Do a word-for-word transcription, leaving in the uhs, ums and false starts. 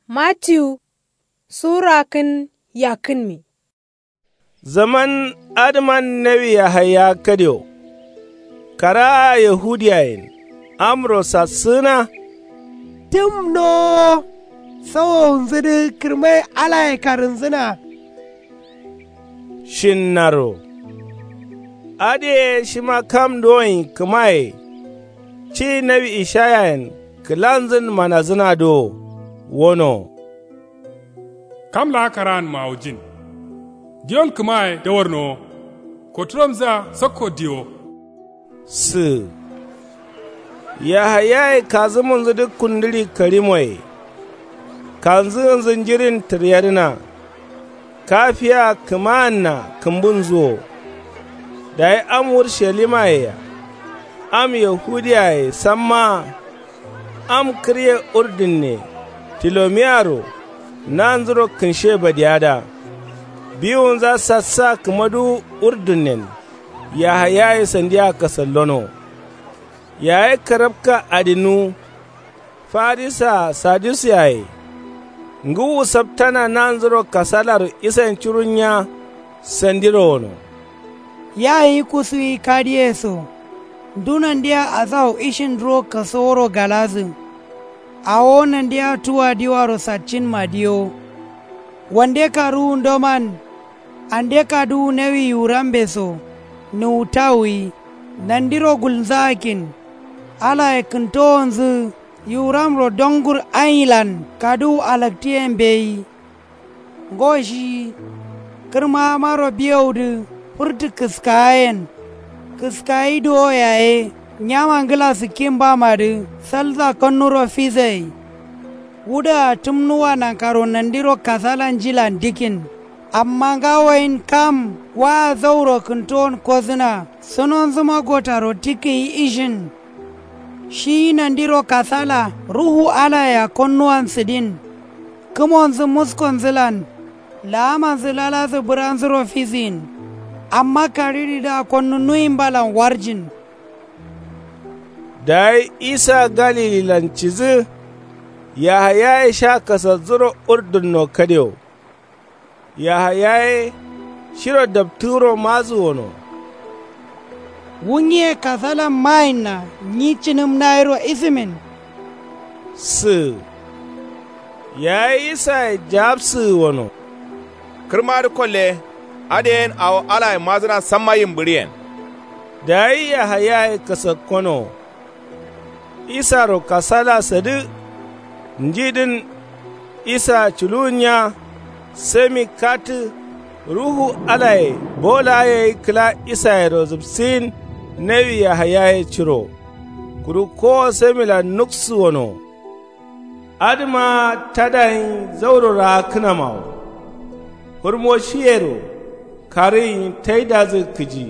Matiyu sura kǝn yakkǝnmi. Zaman adǝman nawi yahaya kadewo. Karaa yahudiyayen amro sassǝgǝna. Tǝmno sawowunzǝdǝ kǝrmai alaye karǝnzǝna. Shinnaro adǝye shima kam dowoin kǝmaye. Ci nawi ishayayen kǝlanzǝn manazǝna dowo wono. Kam laa karaan mawujin. Diwon kǝmaye dawarnowo. Koturamzǝa sakko diwo. Sǝ yahayaye kazǝmunzǝ dǝ kundǝɍi karimoye. Kanzǝgǝnzǝ njirin tǝryadǝna. Kafiya kǝmaanna kǝmbunzǝ wo. Dayi am urshalimmayea am yahudiyaye sammaa. Am kǝrye urdunne tilomiyaro nanzuro kǝnshe badiyada. Biwunza sassa kǝmaduwu urdunnen yahayaye sandiya kasallono. Yaye karabka adinnuwu. Farisaa sadusiyaye ngǝwu saptana nanzuro kasalaro isayen curunya. Sandiro wono. Ya nyi kusuwi kadiye so ndu nandiya asawu ishin duro kasoworo galadǝ. Awo nandiya tuwa diwaro satcinma diyo. Wande kaduwundoman ande kaduwu nawi yiwurambe so nuwutawuyi. Nandiro gulnzaakin alaye kǝntowonzǝ yiwuramro dongur anyilan kaduwu alaktiyen mbeyi. Ngo shiyi kǝrmamaro biyowudǝ fǝrtǝ kǝskayen. Kǝskayi duwo yaye nyama ngla sǝkkin bamadǝ salsa konnuro fisayi. Wudǝa tǝmnuwa nankaro nandiro kasala njilan dikkin. Amma ngawoyin kam waa zauro kǝntowon kodǝna sunonzǝma gotaro tikkiyi ishin. Shiyi nandiro kasala ruhu alayea konnuwan sǝdin. Kǝmonzǝ muskonzǝlan laamanzǝ laladǝ bǝranzuro fisiyin. Amma kariridǝa konnu nuwimbalan warjin. Dayi isa galililan cidǝ. Yahayaye sha kasazzuro urdunno kadewo. Yahayaye shiro daptǝgǝro madǝ wono. Wu nyiye kasalan mayinna nyi cǝnǝm nayiro isǝmin. Sǝ yaye isaye jawabsǝgǝ wono. Kǝrmadǝ kolle. Adǝyen awo alaye madǝna samma yimbǝɍiyen. Dayi yahayaye kasakkono. Isaro kasala sadǝ. Njidǝn isa culuwunya. Semi katǝ ruhu alaye bolaye kǝla isayero zǝpsǝyin. Nawi yahayaye curo kuru kowo semilan nuksǝ wono. Adǝma tadayin zauro raakkǝnamawo. Fǝrmoshiyero karǝyin taidazǝ kǝji.